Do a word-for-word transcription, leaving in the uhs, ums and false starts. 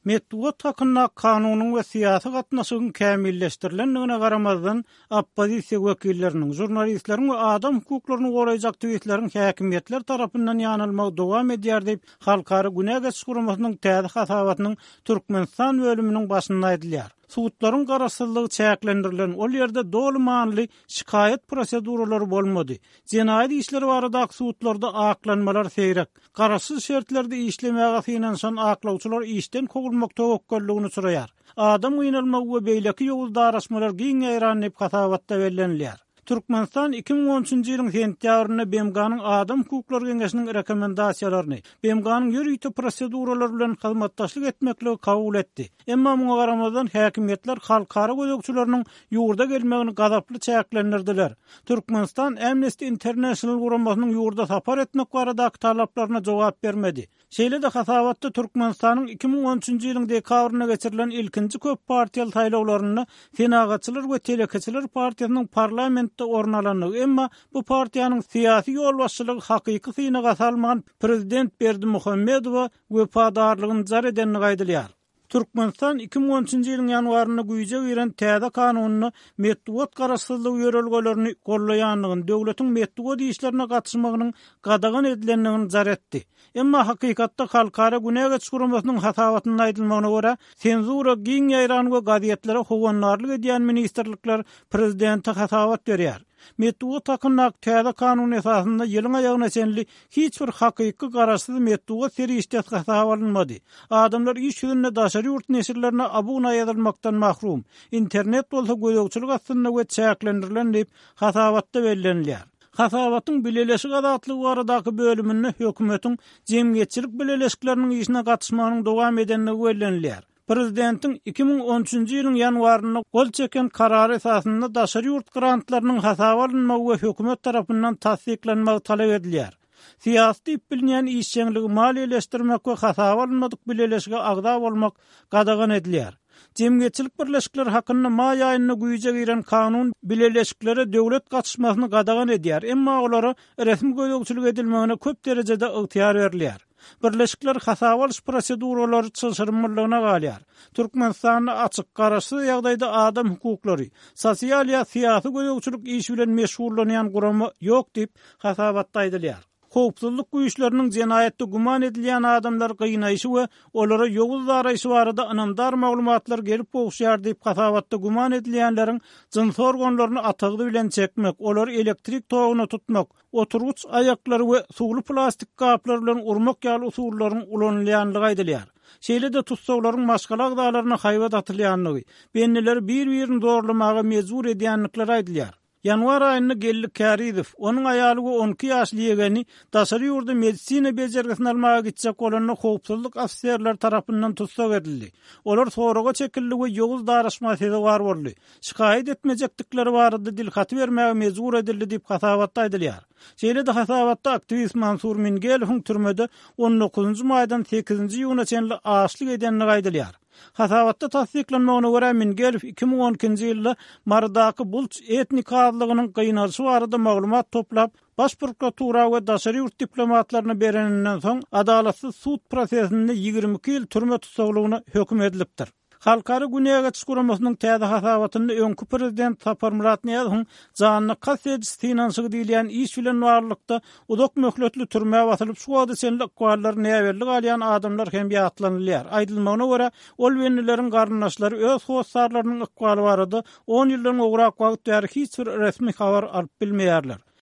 Metbugat hakyndaky kanunyň we syýasy gatnaşygyň kämilleşdirilendigine garamazdan, oppozisiýa wekilleriniň, žurnalistleriň we adam hukuklaryny goraýjy aktiwistleriň häkimiýetler tarapyndan ýanalmagy dowam edýär diýip, Halkara Günä geçiş guramasynyň täze hasabatynyň Türkmenistan bölüminiň başynda aýdylýar. Sudlaryň garaşsyzlygy çäklendirilen, ol ýerde doly manyly şikaýat proseduralary bolmady. Jenaýat işleri baradaky sudlarda aklanmalar seýrek. Garaşsyz şertlerde işlemäge synanyşan aklawçylar işden kowulmak töwekgelligine uçraýar. Adam gynalmagy we beýleki ýowuz daraşmalar giň ýaýran diýip hasabatda bellenilýär. Türkmenistan iki müň on üçünji ýylyň sentýabrynda B M G-nyň Adam hukuklary geňeşiniň rekomendasiýalaryny, B M G-nyň ýörite proseduralary bilen hyzmatdaşlyk etmekligi kabul etdi. Emma muňa garamazdan häkimiýetler halkara gözegçileriniň ýurda gelmegini gazaply çäklendirdiler. Türkmenistan Amnesty International guramasynyň ýurda sapar etmek baradaky talaplaryna jogap bermedi. Şeýle-de hasabatda Türkmenistanyň iki müň on üçünji ýylyň dekabrynda geçirilen ilkinji köp partiýaly saýlawlarynda Senagatçylar we Telekeçiler partiýasynyň parlamentde orun alandygy, emma bu partiýanyň syýasy ýolbaşçylygy hakyky synaga salman prezident Berdimuhamedowa wepadarlygyny jar edendigi aýdylýar. Türkmenistan iki müň on üçünji ýylyň ýanwarynda güýje giren täze kanunynda metbugat garaşsyzlygy ýörelgelerini gollaýandygyny, döwletiň metbugat işlerine gatyşmagynyň gadagan edilendigini jar etdi. Emma hakykatda Halkara Günä geçiş guramasynyň hasabatynda aýdylmagyna görä, senzura giň ýaýran we gazetlere howandarlyk edýän ministrlikler prezidente hasabat berýär. Metbugat hakyndaky täze kanun esasynda ýylyň aýagyna çenli hiç bir hakyky garaşsyz metbugat serişdesi hasaba alynmady. Adamlar iş ýüzünde daşary ýurt neşirlerine abuna ýazylmakdan mahrum. Internet bolsa gözegçilik astynda we çäklendirilen diýip hasabatda bellenilýär. Hasabatyň Bileleşik azatlygy baradaky bölüminde hökümetiň jemgyýetçilik bileleşikleriniň işine gatyşmagynyň dowam edendigi bellenilýär. Prezidentiň iki müň on üçünji ýylyň ýanwarynda gol çeken karary esasynda daşary ýurt grantlarynyň hasaba alynmagy we hökümet tarapyndan tassyklanmagy talap edilýär. Syýasy diýip bilinýän işjeňligi maliýeleşdirmek we hasaba alynmadyk bileleşige agza bolmak gadagan edilýär. Jemgyýetçilik birleşikleri hakynda maý aýynda güýje giren kanun bileleşiklere döwlet gatyşmasyny gadagan edýär, emma olara resmi gözegçilik edilmegine köp derejede ygtyýar berilýär. Birleşikler hasaba alyş proseduralary çylşyrymlylygyna galýar. Türkmenistanda açyk, garaşsyz ýagdaýda adam hukuklary, sosial ýa syýasy gözegçilik işi bilen meşgullanýan gurama ýok diýip hasabatda aýdylýar. Howpsuzlyk güýçleriniň jenaýatda güman edilýän adamlar gynaýşy we olara ýowuz daraýşy barada ynamdar maglumatlar gelip gowuşýar diýip hasabatda güman edilýänleriň jyns organlaryny atagdy bilen çekmek, olary elektrik toguna tutmak, oturgyç aýaklary we suwly plastik gaplar bilen urmak ýaly usullaryň ulanylýandygy aýdylýar. Şeýle-de tussaglaryň maşgala agzalaryna haýbat atylýandygy, bendileri bir-birini zorlamaga mejbur edýändikleri aýdylýar. Ýanwar aýynda Geldi Kärizow, onuň aýaly we on iki ýaşly ýegeni daşary ýurda medisina bejergisini almaga gitjek bolanda howpsuzlyk ofiserleri tarapyndan tussag edildi. Olar soraga çekildi we ýowuz daraşma sezewar boldy. Şikaýat etmejekdikleri barada dilhaty bermäge mejbur edildi diýip hasabatda aýdylýar. Şeýle-de hasabatda aktiwist Mansur Mingelowyň türmede on dokuzynjy maýdan sekizinji iýuna çenli açlyk edendigi aýdylýar. Hasabatda tassyklanmagyna görä Mingelow iki müň on ikinji ýylda Marydaky Bulç etnik azlygynyň gynalyşy barada maglumat toplap, baş prokuratura we daşary ýurt diplomatlaryna bereninden soň adalatsyz sud prosesinde ýigrimi iki ýyl türme tussaglygyna höküm edilipdir. Halkara Günä geçiş guramasynyň täze hasabatynda öňki prezident Saparmyrat Nyýazowyň janyna kast ediş synanyşygy diýilýän iş bilen baglylykda uzak möhletli türmä basylyp şu wagta çenli ykballary näbelli galýan adamlar hem ýatlanylýar. Aýdylmagyna görä, ol bendileriň garyndaşlary öz hossarlarynyň ykbaly barada on ýyldan gowrak wagt bäri hiç bir resmi habar alyp bilmeýärler.